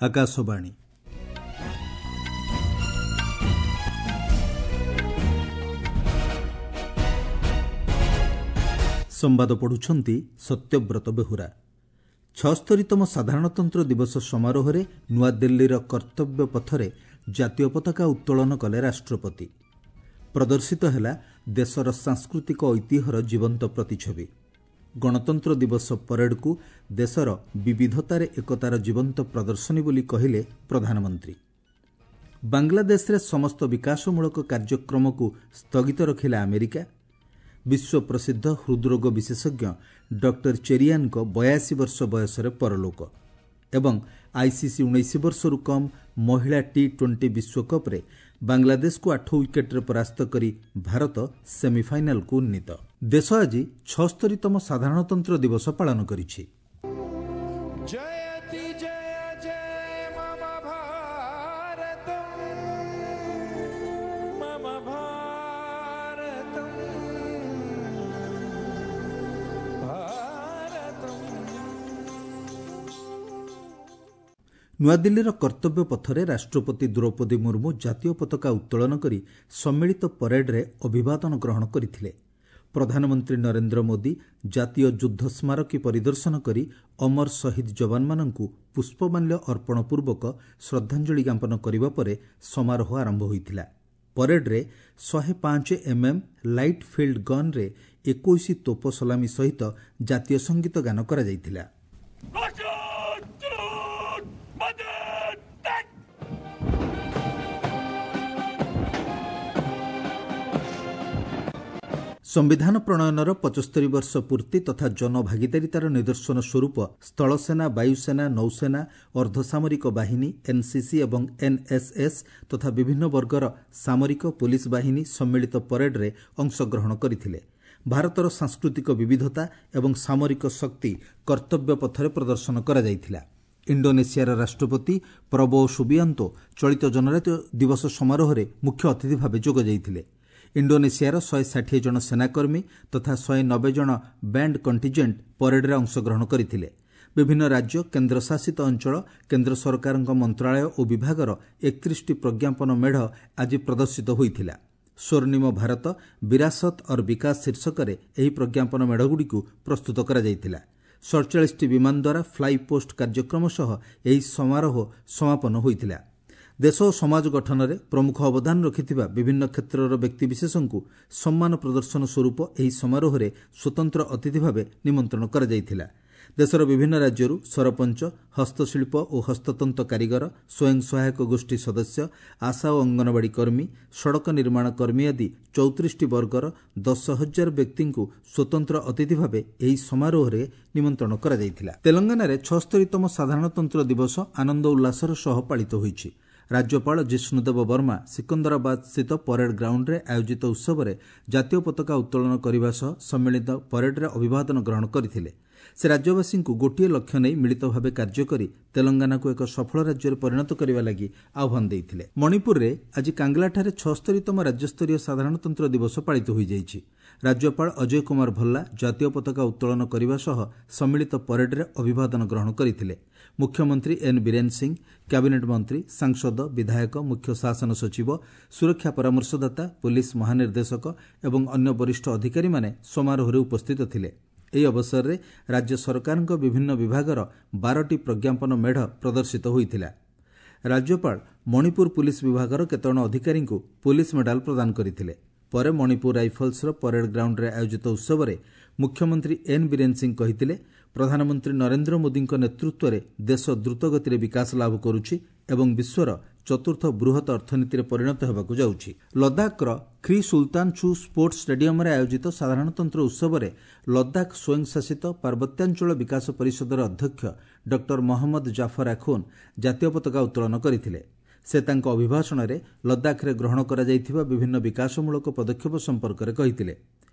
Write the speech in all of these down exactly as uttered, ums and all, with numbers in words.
ଆକାଶବାଣୀ। ସମ୍ବାଦ ପଢୁଛନ୍ତି ସତ୍ୟବ୍ରତ ବେହୁରା। ଛଅସ୍ତରୀତମ ସାଧାରଣତନ୍ତ୍ର ଦିବସ ସମାରୋହରେ ନୂଆଦିଲ୍ଲୀର କର୍ତ୍ତବ୍ୟ ପଥରେ ଜାତୀୟ ପତାକା ଉତ୍ତୋଳନ କଲେ ରାଷ୍ଟ୍ରପତି। ପ୍ରଦର୍ଶିତ ହେଲା ଦେଶର ସାଂସ୍କୃତିକ ଐତିହ୍ୟର ଜୀବନ୍ତ ପ୍ରତିଛବି। ଗଣତନ୍ତ୍ର ଦିବସ ପରେଡକୁ ଦେଶର ବିବିଧତାରେ ଏକତାର ଜୀବନ୍ତ ପ୍ରଦର୍ଶନୀ ବୋଲି କହିଲେ ପ୍ରଧାନମନ୍ତ୍ରୀ। ବାଂଲାଦେଶରେ ସମସ୍ତ ବିକାଶମୂଳକ କାର୍ଯ୍ୟକ୍ରମକୁ ସ୍ଥଗିତ ରଖିଲା ଆମେରିକା। ବିଶ୍ୱ ପ୍ରସିଦ୍ଧ ହୃଦରୋଗ ବିଶେଷଜ୍ଞ ଡକ୍ଟର ଚେରିଆନଙ୍କ ବୟାଅଶୀ ବର୍ଷ ବୟସରେ ପରଲୋକ। ଏବଂ ଆଇସିସି ଉଣେଇଶ ବର୍ଷରୁ କମ୍ ମହିଳା ଟି ଟ୍ୱେଣ୍ଟି ବିଶ୍ୱକପ୍ରେ ବାଂଲାଦେଶକୁ ଆଠ ୱିକେଟ୍ରେ ପରାସ୍ତ କରି ଭାରତ ସେମିଫାଇନାଲକୁ ଉନ୍ନୀତ। ଦେଶ ଆଜି ଛଅସ୍ତରୀତମ ସାଧାରଣତନ୍ତ୍ର ଦିବସ ପାଳନ କରିଛି। ଜୟତି ଜୟ ଜୟ ମମ ଭାରତମ୍ ମମ ଭାରତମ୍ ଭାରତମ୍। ନୂଆଦିଲ୍ଲୀର କର୍ତ୍ତବ୍ୟ ପଥରେ ରାଷ୍ଟ୍ରପତି ଦ୍ରୌପଦୀ ମୁର୍ମୁ ଜାତୀୟ ପତାକା ଉତ୍ତୋଳନ କରି ସମ୍ମିଳିତ ପରେଡରେ ଅଭିବାଦନ ଗ୍ରହଣ କରିଥିଲେ। ପ୍ରଧାନମନ୍ତ୍ରୀ ନରେନ୍ଦ୍ର ମୋଦି ଜାତୀୟ ଯୁଦ୍ଧ ସ୍ମାରକୀ ପରିଦର୍ଶନ କରି ଅମର ଶହୀଦ ଯବାନମାନଙ୍କୁ ପୁଷ୍ପମାଲ୍ୟ ଅର୍ପଣ ପୂର୍ବକ ଶ୍ରଦ୍ଧାଞ୍ଜଳି ଜ୍ଞାପନ କରିବା ପରେ ସମାରୋହ ଆରମ୍ଭ ହୋଇଥିଲା। ପରେଡରେ ଶହେ ପାଞ୍ଚ ଏମ୍ଏମ୍ ଲାଇଟ୍ ଫିଲ୍ଡ ଗନ୍ରେ ଏକୋଇଶ ତୋପ ସଲାମି ସହିତ ଜାତୀୟ ସଙ୍ଗୀତ ଗାନ କରାଯାଇଥିଲା। ସମ୍ବିଧାନ ପ୍ରଣୟନର ପଞ୍ଚସ୍ତରୀ ବର୍ଷ ପୂର୍ତ୍ତି ତଥା ଜନଭାଗିଦାରିତାର ନିଦର୍ଶନ ସ୍ୱରୂପ ସ୍ଥଳସେନା, ବାୟୁସେନା, ନୌସେନା, ଅର୍ଦ୍ଧସାମରିକ ବାହିନୀ, ଏନ୍ସିସି ଏବଂ ଏନ୍ଏସ୍ଏସ୍ ତଥା ବିଭିନ୍ନ ବର୍ଗର ସାମରିକ ପୋଲିସ ବାହିନୀ ସମ୍ମିଳିତ ପରେଡରେ ଅଂଶଗ୍ରହଣ କରିଥିଲେ। ଭାରତର ସାଂସ୍କୃତିକ ବିବିଧତା ଏବଂ ସାମରିକ ଶକ୍ତି କର୍ତ୍ତବ୍ୟ ପଥରେ ପ୍ରଦର୍ଶନ କରାଯାଇଥିଲା। ଇଣ୍ଡୋନେସିଆର ରାଷ୍ଟ୍ରପତି ପ୍ରବୋ ସୁବିଆନ୍ତୋ ଚଳିତ ଜନଜାତୀୟ ଦିବସ ସମାରୋହରେ ମୁଖ୍ୟ ଅତିଥି ଭାବେ ଯୋଗ ଦେଇଥିଲେ। ଇଣ୍ଡୋନେସିଆର ଶହେ ଷାଠିଏ ଜଣ ସେନାକର୍ମୀ ତଥା ଶହେ ନବେ ଜଣ ବ୍ୟାଣ୍ଡ କଣ୍ଟିଜେଣ୍ଟ ପରେଡରେ ଅଂଶଗ୍ରହଣ କରିଥିଲେ। ବିଭିନ୍ନ ରାଜ୍ୟ, କେନ୍ଦ୍ରଶାସିତ ଅଞ୍ଚଳ, କେନ୍ଦ୍ର ସରକାରଙ୍କ ମନ୍ତ୍ରଣାଳୟ ଓ ବିଭାଗର ଏକତିରିଶଟି ପ୍ରଜ୍ଞାପନ ମେଢ଼ ଆଜି ପ୍ରଦର୍ଶିତ ହୋଇଥିଲା। ସ୍ୱର୍ଣ୍ଣିମ ଭାରତ ବିରାସତ ଅର୍ ବିକାଶ ଶୀର୍ଷକରେ ଏହି ପ୍ରଜ୍ଞାପନ ମେଢ଼ଗୁଡ଼ିକୁ ପ୍ରସ୍ତୁତ କରାଯାଇଥିଲା। ସଡ଼ଚାଳିଶଟି ବିମାନ ଦ୍ୱାରା ଫ୍ଲାଇ ପୋଷ୍ଟ କାର୍ଯ୍ୟକ୍ରମ ସହ ଏହି ସମାରୋହ ସମାପନ ହୋଇଥିଲା। ଦେଶ ଓ ସମାଜ ଗଠନରେ ପ୍ରମୁଖ ଅବଦାନ ରଖିଥିବା ବିଭିନ୍ନ କ୍ଷେତ୍ରର ବ୍ୟକ୍ତିବିଶେଷଙ୍କୁ ସମ୍ମାନ ପ୍ରଦର୍ଶନ ସ୍ୱରୂପ ଏହି ସମାରୋହରେ ସ୍ୱତନ୍ତ୍ର ଅତିଥି ଭାବେ ନିମନ୍ତ୍ରଣ କରାଯାଇଥିଲା। ଦେଶର ବିଭିନ୍ନ ରାଜ୍ୟରୁ ସରପଞ୍ଚ, ହସ୍ତଶିଳ୍ପ ଓ ହସ୍ତତନ୍ତ କାରିଗର, ସ୍ୱୟଂ ସହାୟକ ଗୋଷ୍ଠୀ ସଦସ୍ୟ, ଆଶା ଓ ଅଙ୍ଗନବାଡ଼ି କର୍ମୀ, ସଡ଼କ ନିର୍ମାଣ କର୍ମୀ ଆଦି ଚଉତିରିଶଟି ବର୍ଗର ଦଶ ହଜାର ବ୍ୟକ୍ତିଙ୍କୁ ସ୍ୱତନ୍ତ୍ର ଅତିଥି ଭାବେ ଏହି ସମାରୋହରେ ନିମନ୍ତ୍ରଣ କରାଯାଇଥିଲା। ତେଲଙ୍ଗାନାରେ ଛଅସ୍ତରୀତମ ସାଧାରଣତନ୍ତ୍ର ଦିବସ ଆନନ୍ଦ ଉଲ୍ଲାସର ସହ ପାଳିତ ହୋଇଛି। ରାଜ୍ୟପାଳ ଜିଷ୍ଣୁଦେବ ବର୍ମା ସିକନ୍ଦରାବାଦ ସ୍ଥିତ ପରେଡ ଗ୍ରାଉଣ୍ଡରେ ଆୟୋଜିତ ଉତ୍ସବରେ ଜାତୀୟ ପତାକା ଉତ୍ତୋଳନ କରିବା ସହ ସମ୍ମିଳିତ ପରେଡରେ ଅଭିବାଦନ ଗ୍ରହଣ କରିଥିଲେ। ସେ ରାଜ୍ୟବାସୀଙ୍କୁ ଗୋଟିଏ ଲକ୍ଷ୍ୟ ନେଇ ମିଳିତ ଭାବେ କାର୍ଯ୍ୟ କରି ତେଲଙ୍ଗାନାକୁ ଏକ ସଫଳ ରାଜ୍ୟରେ ପରିଣତ କରିବା ଲାଗି ଆହ୍ୱାନ ଦେଇଥିଲେ। ମଣିପୁରରେ ଆଜି କାଙ୍ଗଲାଠାରେ ଛଅସ୍ତରୀତମ ରାଜ୍ୟସ୍ତରୀୟ ସାଧାରଣତନ୍ତ୍ର ଦିବସ ପାଳିତ ହୋଇଯାଇଛି। ରାଜ୍ୟପାଳ ଅଜୟ କୁମାର ଭଲ୍ଲା ଜାତୀୟ ପତାକା ଉତ୍ତୋଳନ କରିବା ସହ ସମ୍ମିଳିତ ପରେଡରେ ଅଭିବାଦନ ଗ୍ରହଣ କରିଥିଲେ। ମୁଖ୍ୟମନ୍ତ୍ରୀ ଏନ୍ ବୀରେନ ସିଂ, କ୍ୟାବିନେଟ୍ ମନ୍ତ୍ରୀ, ସାଂସଦ, ବିଧାୟକ, ମୁଖ୍ୟ ଶାସନ ସଚିବ, ସୁରକ୍ଷା ପରାମର୍ଶଦାତା, ପୋଲିସ ମହାନିର୍ଦ୍ଦେଶକ ଏବଂ ଅନ୍ୟ ବରିଷ୍ଠ ଅଧିକାରୀମାନେ ସମାରୋହରେ ଉପସ୍ଥିତ ଥିଲେ। ଏହି ଅବସରରେ ରାଜ୍ୟ ସରକାରଙ୍କ ବିଭିନ୍ନ ବିଭାଗର ବାରଟି ପ୍ରଜ୍ଞାପନ ମେଢ଼ ପ୍ରଦର୍ଶିତ ହୋଇଥିଲା। ରାଜ୍ୟପାଳ ମଣିପୁର ପୁଲିସ ବିଭାଗର କେତେଜଣ ଅଧିକାରୀଙ୍କୁ ପୋଲିସ ମେଡାଲ ପ୍ରଦାନ କରିଥିଲେ। ପରେ ମଣିପୁର ରାଇଫଲ୍ସର ପରେଡ ଗ୍ରାଉଣ୍ଡରେ ଆୟୋଜିତ ଉତ୍ସବରେ ମୁଖ୍ୟମନ୍ତ୍ରୀ ଏନ୍ ବୀରେନ ସିଂ କହିଥିଲେ, ପ୍ରଧାନମନ୍ତ୍ରୀ ନରେନ୍ଦ୍ର ମୋଦିଙ୍କ ନେତୃତ୍ୱରେ ଦେଶ ଦ୍ରୁତଗତିରେ ବିକାଶ ଲାଭ କରୁଛି ଏବଂ ବିଶ୍ୱର ଚତୁର୍ଥ ବୃହତ ଅର୍ଥନୀତିରେ ପରିଣତ ହେବାକୁ ଯାଉଛି। ଲଦାଖର ଖ୍ରୀ ସୁଲତାନ ଛୁ ସ୍ପୋର୍ଟସ ଷ୍ଟାଡିୟମରେ ଆୟୋଜିତ ସାଧାରଣତନ୍ତ୍ର ଉତ୍ସବରେ ଲଦାଖ ସ୍ୱୟଂଶାସିତ ପାର୍ବତ୍ୟାଞ୍ଚଳ ବିକାଶ ପରିଷଦର ଅଧ୍ୟକ୍ଷ ଡକ୍ଟର ମହମ୍ମଦ ଜାଫର ଆଖୁନ ଜାତୀୟ ପତାକା ଉତ୍ତୋଳନ କରିଥିଲେ। ସେ ତାଙ୍କ ଅଭିଭାଷଣରେ ଲଦାଖରେ ଗ୍ରହଣ କରାଯାଇଥିବା ବିଭିନ୍ନ ବିକାଶମୂଳକ ପଦକ୍ଷେପ ସମ୍ପର୍କରେ କହିଥିଲେ।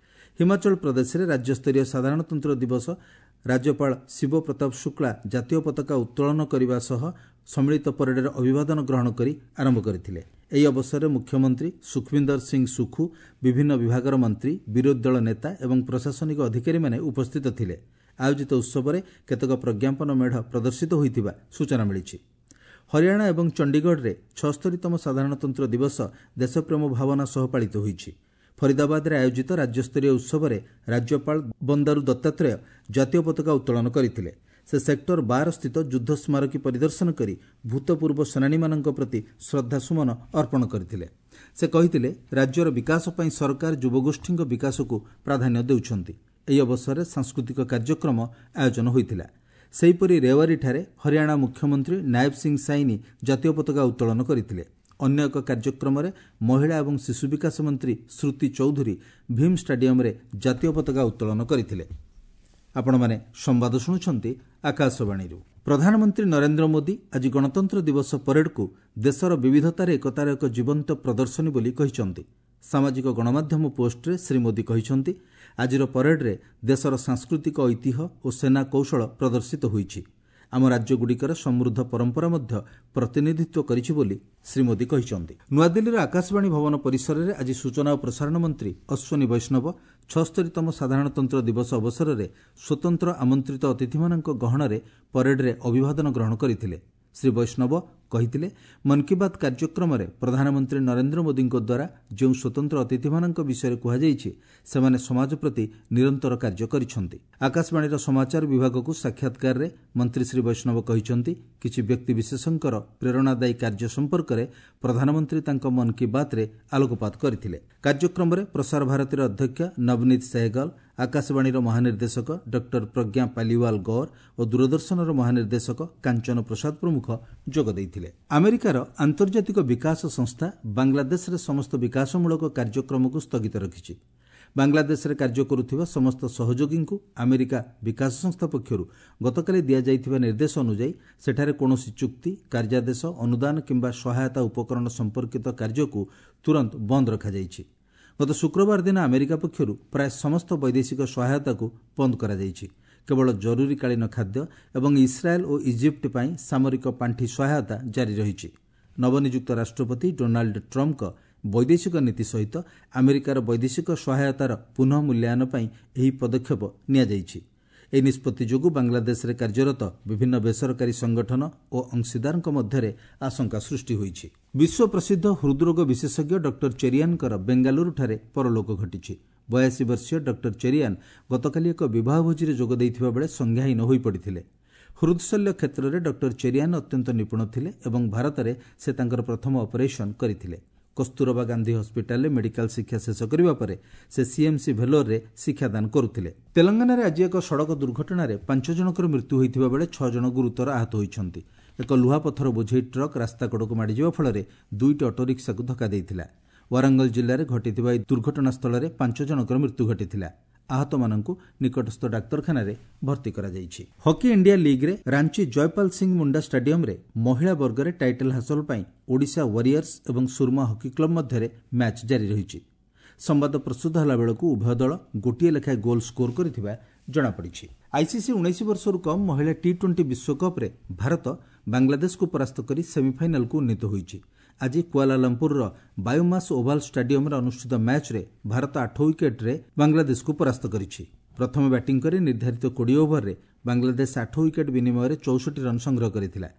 ହିମାଚଳ ପ୍ରଦେଶରେ ରାଜ୍ୟସ୍ତରୀୟ ସାଧାରଣତନ୍ତ୍ର ଦିବସ ରାଜ୍ୟପାଳ ଶିବ ପ୍ରତାପ ଶୁକ୍ଳା ଜାତୀୟ ପତାକା ଉତ୍ତୋଳନ କରିବା ସହ ସମ୍ମିଳିତ ପରେଡରେ ଅଭିବାଦନ ଗ୍ରହଣ କରି ଆରମ୍ଭ କରିଥିଲେ। ଏହି ଅବସରରେ ମୁଖ୍ୟମନ୍ତ୍ରୀ ସୁଖବିନ୍ଦର ସିଂ ସୁଖୁ, ବିଭିନ୍ନ ବିଭାଗର ମନ୍ତ୍ରୀ, ବିରୋଧୀ ଦଳ ନେତା ଏବଂ ପ୍ରଶାସନିକ ଅଧିକାରୀମାନେ ଉପସ୍ଥିତ ଥିଲେ। ଆୟୋଜିତ ଉତ୍ସବରେ କେତେକ ପ୍ରଜ୍ଞାପନ ମେଢ଼ ପ୍ରଦର୍ଶିତ ହୋଇଥିବା ସୂଚନା ମିଳିଛି। ହରିୟାଣା ଏବଂ ଚଣ୍ଡିଗଡ଼ରେ ଛଅସ୍ତରୀତମ ସାଧାରଣତନ୍ତ୍ର ଦିବସ ଦେଶପ୍ରେମ ଭାବନା ସହ ପାଳିତ ହୋଇଛି। ଫରିଦାବାଦରେ ଆୟୋଜିତ ରାଜ୍ୟସ୍ତରୀୟ ଉତ୍ସବରେ ରାଜ୍ୟପାଳ ବନ୍ଦାରୁ ଦତ୍ତାତ୍ରେୟ ଜାତୀୟ ପତାକା ଉତ୍ତୋଳନ କରିଥିଲେ। ସେ ସେକ୍ଟର ବାର ସ୍ଥିତ ଯୁଦ୍ଧ ସ୍ମାରକୀ ପରିଦର୍ଶନ କରି ଭୂତପୂର୍ବ ସେନାନୀମାନଙ୍କ ପ୍ରତି ଶ୍ରଦ୍ଧାସୁମନ ଅର୍ପଣ କରିଥିଲେ। ସେ କହିଥିଲେ, ରାଜ୍ୟର ବିକାଶ ପାଇଁ ସରକାର ଯୁବଗୋଷ୍ଠୀଙ୍କ ବିକାଶକୁ ପ୍ରାଧାନ୍ୟ ଦେଉଛନ୍ତି। ଏହି ଅବସରରେ ସାଂସ୍କୃତିକ କାର୍ଯ୍ୟକ୍ରମ ଆୟୋଜନ ହୋଇଥିଲା। ସେହିପରି ରେୱାରୀଠାରେ ହରିୟାଣା ମୁଖ୍ୟମନ୍ତ୍ରୀ ନାୟବ ସିଂ ସାଇନି ଜାତୀୟ ପତାକା ଉତ୍ତୋଳନ କରିଥିଲେ। ଅନ୍ୟ ଏକ କାର୍ଯ୍ୟକ୍ରମରେ ମହିଳା ଏବଂ ଶିଶୁ ବିକାଶ ମନ୍ତ୍ରୀ ଶ୍ରୁତି ଚୌଧୁରୀ ଭୀମ୍ ଷ୍ଟାଡିୟମରେ ଜାତୀୟ ପତାକା ଉତ୍ତୋଳନ କରିଥିଲେ। ଆପଣମାନେ ସମ୍ବାଦ ଶୁଣୁଛନ୍ତି ଆକାଶବାଣୀରୁ। ପ୍ରଧାନମନ୍ତ୍ରୀ ନରେନ୍ଦ୍ର ମୋଦି ଆଜି ଗଣତନ୍ତ୍ର ଦିବସ ପରେଡକୁ ଦେଶର ବିବିଧତାରେ ଏକତାର ଏକ ଜୀବନ୍ତ ପ୍ରଦର୍ଶନୀ ବୋଲି କହିଛନ୍ତି। ସାମାଜିକ ଗଣମାଧ୍ୟମ ପୋଷ୍ଟରେ ଶ୍ରୀ ମୋଦି କହିଛନ୍ତି, ଆଜିର ପରେଡରେ ଦେଶର ସାଂସ୍କୃତିକ ଐତିହ୍ୟ ଓ ସେନା କୌଶଳ ପ୍ରଦର୍ଶିତ ହୋଇଛି। ଆମ ରାଜ୍ୟଗୁଡ଼ିକର ସମୃଦ୍ଧ ପରମ୍ପରା ମଧ୍ୟ ପ୍ରତିନିଧିତ୍ୱ କରିଛି ବୋଲି ଶ୍ରୀ ମୋଦି କହିଛନ୍ତି। ନୂଆଦିଲ୍ଲୀର ଆକାଶବାଣୀ ଭବନ ପରିସରରେ ଆଜି ସୂଚନା ଓ ପ୍ରସାରଣ ମନ୍ତ୍ରୀ ଅଶ୍ୱିନୀ ବୈଷ୍ଣବ ଛଅସ୍ତରୀତମ ସାଧାରଣତନ୍ତ୍ର ଦିବସ ଅବସରରେ ସ୍ୱତନ୍ତ୍ର ଆମନ୍ତ୍ରିତ ଅତିଥିମାନଙ୍କ ଗହଣରେ ପରେଡରେ ଅଭିବାଦନ ଗ୍ରହଣ କରିଥିଲେ। ଶ୍ରୀ ବୈଷ୍ଣବ କହିଥିଲେ, ମନ୍ କି ବାତ୍ କାର୍ଯ୍ୟକ୍ରମରେ ପ୍ରଧାନମନ୍ତ୍ରୀ ନରେନ୍ଦ୍ର ମୋଦିଙ୍କ ଦ୍ୱାରା ଯେଉଁ ସ୍ୱତନ୍ତ୍ର ଅତିଥିମାନଙ୍କ ବିଷୟରେ କୁହାଯାଇଛି, ସେମାନେ ସମାଜ ପ୍ରତି ନିରନ୍ତର କାର୍ଯ୍ୟ କରିଛନ୍ତି। ଆକାଶବାଣୀର ସମାଚାର ବିଭାଗକୁ ସାକ୍ଷାତକାରରେ ମନ୍ତ୍ରୀ ଶ୍ରୀ ବୈଷ୍ଣବ କହିଛନ୍ତି, କିଛି ବ୍ୟକ୍ତିବିଶେଷଙ୍କର ପ୍ରେରଣାଦାୟୀ କାର୍ଯ୍ୟ ସମ୍ପର୍କରେ ପ୍ରଧାନମନ୍ତ୍ରୀ ତାଙ୍କ ମନ୍ କି ବାତ୍ରେ ଆଲୋକପାତ କରିଥିଲେ। କାର୍ଯ୍ୟକ୍ରମରେ ପ୍ରସାର ଭାରତୀର ଅଧ୍ୟକ୍ଷ ନବନୀତ ସେହଗଲ, ଆକାଶବାଣୀର ମହାନିର୍ଦ୍ଦେଶକ ଡକ୍ଟର ପ୍ରଜ୍ଞା ପାଲିୱାଲ ଗୌର ଓ ଦୂରଦର୍ଶନର ମହାନିର୍ଦ୍ଦେଶକ କାଞ୍ଚନ ପ୍ରସାଦ ପ୍ରମୁଖ ଯୋଗ ଦେଇଥିଲେ। ଆମେରିକାର ଆନ୍ତର୍ଜାତିକ ବିକାଶ ସଂସ୍ଥା ବାଂଲାଦେଶରେ ସମସ୍ତ ବିକାଶମୂଳକ କାର୍ଯ୍ୟକ୍ରମକୁ ସ୍ଥଗିତ ରଖିଛି। ବାଂଲାଦେଶରେ କାର୍ଯ୍ୟ କରୁଥିବା ସମସ୍ତ ସହଯୋଗୀଙ୍କୁ ଆମେରିକା ବିକାଶ ସଂସ୍ଥା ପକ୍ଷରୁ ଗତକାଲି ଦିଆଯାଇଥିବା ନିର୍ଦ୍ଦେଶ ଅନୁଯାୟୀ ସେଠାରେ କୌଣସି ଚୁକ୍ତି, କାର୍ଯ୍ୟାଦେଶ, ଅନୁଦାନ କିମ୍ବା ସହାୟତା ଉପକରଣ ସମ୍ପର୍କିତ କାର୍ଯ୍ୟକୁ ତୁରନ୍ତ ବନ୍ଦ ରଖାଯାଇଛି। ଗତ ଶୁକ୍ରବାର ଦିନ ଆମେରିକା ପକ୍ଷରୁ ପ୍ରାୟ ସମସ୍ତ ବୈଦେଶିକ ସହାୟତାକୁ ବନ୍ଦ କରାଯାଇଛି। କେବଳ ଜରୁରୀକାଳୀନ ଖାଦ୍ୟ ଏବଂ ଇସ୍ରାଏଲ୍ ଓ ଇଜିପ୍ଟ ପାଇଁ ସାମରିକ ପାଣ୍ଠି ସହାୟତା ଜାରି ରହିଛି। ନବନିଯୁକ୍ତ ରାଷ୍ଟ୍ରପତି ଡୋନାଲ୍ଡ ଟ୍ରମ୍ପଙ୍କ ବୈଦେଶିକ ନୀତି ସହିତ ଆମେରିକାର ବୈଦେଶିକ ସହାୟତାର ପୁନଃ ମୂଲ୍ୟାୟନ ପାଇଁ ଏହି ପଦକ୍ଷେପ ନିଆଯାଇଛି। ଏହି ନିଷ୍ପତ୍ତି ଯୋଗୁଁ ବାଂଲାଦେଶରେ କାର୍ଯ୍ୟରତ ବିଭିନ୍ନ ବେସରକାରୀ ସଂଗଠନ ଓ ଅଂଶୀଦାରଙ୍କ ମଧ୍ୟରେ ଆଶଙ୍କା ସୃଷ୍ଟି ହୋଇଛି। ବିଶ୍ୱ ପ୍ରସିଦ୍ଧ ହୃଦରୋଗ ବିଶେଷଜ୍ଞ ଡକ୍ଟର ଚେରିଆନଙ୍କର ବେଙ୍ଗାଲୁରୁଠାରେ ପରଲୋକ ଘଟିଛି। ବୟାଅଶୀ ବର୍ଷୀୟ ଡକ୍ଟର ଚେରିଆନ୍ ଗତକାଲି ଏକ ବିବାହ ଭୋଜିରେ ଯୋଗ ଦେଇଥିବା ବେଳେ ସଂଜ୍ଞାହୀନ ହୋଇପଡ଼ିଥିଲେ। ହୃଦଶଲ୍ୟ କ୍ଷେତ୍ରରେ ଡକ୍ଟର ଚେରିଆନ୍ ଅତ୍ୟନ୍ତ ନିପୁଣ ଥିଲେ ଏବଂ ଭାରତରେ ସେ ତାଙ୍କର ପ୍ରଥମ ଅପରେସନ୍ କରିଥିଲେ। କସ୍ତୁରବା ଗାନ୍ଧୀ ହସ୍ପିଟାଲରେ ମେଡିକାଲ ଶିକ୍ଷା ଶେଷ କରିବା ପରେ ସେ ସିଏମ୍ସି ଭେଲୋରରେ ଶିକ୍ଷାଦାନ କରୁଥିଲେ। ତେଲଙ୍ଗାନାରେ ଆଜି ଏକ ସଡ଼କ ଦୁର୍ଘଟଣାରେ ପାଞ୍ଚ ଜଣଙ୍କର ମୃତ୍ୟୁ ହୋଇଥିବା ବେଳେ ଛଅ ଜଣ ଗୁରୁତର ଆହତ ହୋଇଛନ୍ତି। ଏକ ଲୁହାପଥର ବୋଝେଇ ଟ୍ରକ୍ ରାସ୍ତାକଡ଼କୁ ମାଡ଼ିଯିବା ଫଳରେ ଦୁଇଟି ଅଟୋରିକ୍ସାକୁ ଧକ୍କା ଦେଇଥିଲା। ୱାରଙ୍ଗଲ ଜିଲ୍ଲାରେ ଘଟିଥିବା ଏହି ଦୁର୍ଘଟଣାସ୍ଥଳରେ ପାଞ୍ଚ ଜଣଙ୍କର ମୃତ୍ୟୁ ଘଟିଥିଲା। ଆହତମାନଙ୍କୁ ନିକଟସ୍ଥ ଡାକ୍ତରଖାନାରେ ଭର୍ତ୍ତି କରାଯାଇଛି। ହକି ଇଣ୍ଡିଆ ଲିଗ୍ରେ ରାଞ୍ଚି ଜୟପାଲ ସିଂ ମୁଣ୍ଡା ଷ୍ଟାଡିୟମରେ ମହିଳା ବର୍ଗରେ ଟାଇଟଲ୍ ହାସଲ ପାଇଁ ଓଡ଼ିଶା ୱାରିୟର୍ସ ଏବଂ ସୁରମା ହକି କ୍ଲବ ମଧ୍ୟରେ ମ୍ୟାଚ୍ ଜାରି ରହିଛି। ସମ୍ବାଦ ପ୍ରସ୍ତୁତ ହେଲାବେଳକୁ ଉଭୟ ଦଳ ଗୋଟିଏ ଲେଖାଏଁ ଗୋଲ୍ ସ୍କୋର କରିଥିବା ଜଣାପଡ଼ିଛି। ଆଇସିସି ଉଣେଇଶ ବର୍ଷରୁ କମ୍ ମହିଳା ଟି ଟ୍ୱେଣ୍ଟି ବିଶ୍ୱକପ୍ରେ ଭାରତ ବାଂଲାଦେଶକୁ ପରାସ୍ତ କରି ସେମିଫାଇନାଲକୁ ଉନ୍ନୀତ ହୋଇଛି। ଆଜି କୁଆଲାଲମ୍ପୁରର ବାୟୋମାସ୍ ଓଭାଲ ଷ୍ଟାଡିୟମରେ ଅନୁଷ୍ଠିତ ମ୍ୟାଚ୍ରେ ଭାରତ ଆଠ ୱିକେଟ୍ରେ ବାଂଲାଦେଶକୁ ପରାସ୍ତ କରିଛି। ପ୍ରଥମେ ବ୍ୟାଟିଂ କରି ନିର୍ଦ୍ଧାରିତ କୋଡ଼ିଏ ଓଭରରେ ବାଂଲାଦେଶ ଆଠ ୱିକେଟ୍ ବିନିମୟରେ ଚଉଷଠି ରନ୍ ସଂଗ୍ରହ କରିଥିଲା।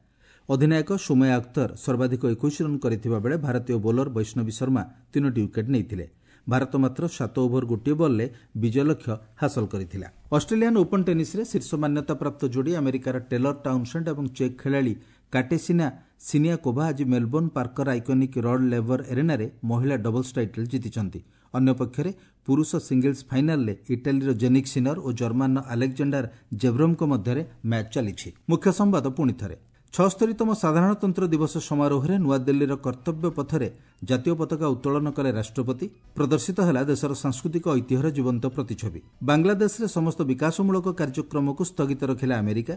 ଅଧିନାୟକ ସୁମୟା ଅଖ୍ତର ସର୍ବାଧିକ ଏକୋଇଶ ରନ୍ କରିଥିବା ବେଳେ ଭାରତୀୟ ବୋଲର ବୈଷ୍ଣବୀ ଶର୍ମା ତିନୋଟି ୱିକେଟ୍ ନେଇଥିଲେ। ଭାରତ ମାତ୍ର ସାତ ଓଭର ଗୋଟିଏ ବଲ୍ରେ ବିଜୟ ଲକ୍ଷ୍ୟ ହାସଲ କରିଥିଲା। ଅଷ୍ଟ୍ରେଲିଆନ୍ ଓପନ୍ ଟେନିସ୍ରେ ଶୀର୍ଷ ମାନ୍ୟତାପ୍ରାପ୍ତ ଯୋଡ଼ି ଆମେରିକାର ଟେଲର ଟାଉନସେଣ୍ଡ ଏବଂ ଚେକ୍ ଖେଳାଳି କାଟେସିନା ସିନିଆକୋଭା ଆଜି ମେଲବୋର୍ଣ୍ଣ ପାର୍କର ଆଇକନିକ୍ ରଡ୍ ଲେଭର ଏରେନାରେ ମହିଳା ଡବଲ୍ସ ଟାଇଟଲ୍ ଜିତିଛନ୍ତି। ଅନ୍ୟପକ୍ଷରେ ପୁରୁଷ ସିଙ୍ଗଲ୍ସ ଫାଇନାଲରେ ଇଟାଲୀର ଜେନିକ୍ ସିନର ଓ ଜର୍ମାନର ଆଲେକ୍ଜାଣ୍ଡାର ଜେଭ୍ରମଙ୍କ ମଧ୍ୟରେ ମ୍ୟାଚ୍ ଚାଲିଛି। ମୁଖ୍ୟ ସମ୍ବାଦ ପୁଣି ଥରେ। ଛଅସ୍ତରୀତମ ସାଧାରଣତନ୍ତ୍ର ଦିବସ ସମାରୋହରେ ନୂଆଦିଲ୍ଲୀର କର୍ତ୍ତବ୍ୟ ପଥରେ ଜାତୀୟ ପତାକା ଉତ୍ତୋଳନ କଲେ ରାଷ୍ଟ୍ରପତି। ପ୍ରଦର୍ଶିତ ହେଲା ଦେଶର ସାଂସ୍କୃତିକ ଐତିହ୍ୟର ଜୀବନ୍ତ ପ୍ରତିଛବି। ବାଂଲାଦେଶରେ ସମସ୍ତ ବିକାଶମୂଳକ କାର୍ଯ୍ୟକ୍ରମକୁ ସ୍ଥଗିତ ରଖିଲା ଆମେରିକା।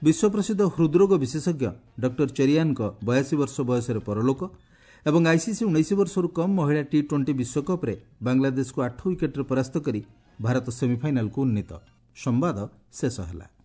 ବିଶ୍ୱପ୍ରସିଦ୍ଧ ହୃଦରୋଗ ବିଶେଷଜ୍ଞ ଡକ୍ଟର ଚେରିଆନଙ୍କ ବୟାଅଶୀ ବର୍ଷ ବୟସରେ ପରଲୋକ। ଏବଂ ଆଇସିସି ଉଣେଇଶ ବର୍ଷରୁ କମ୍ ମହିଳା ଟି ଟ୍ୱେଣ୍ଟି ବିଶ୍ୱକପ୍ରେ ବାଂଲାଦେଶକୁ ଆଠ ୱିକେଟ୍ରେ ପରାସ୍ତ କରି ଭାରତ ସେମିଫାଇନାଲକୁ ଉନ୍ନୀତ। ସମ୍ବାଦ ଶେଷ ହେଲା।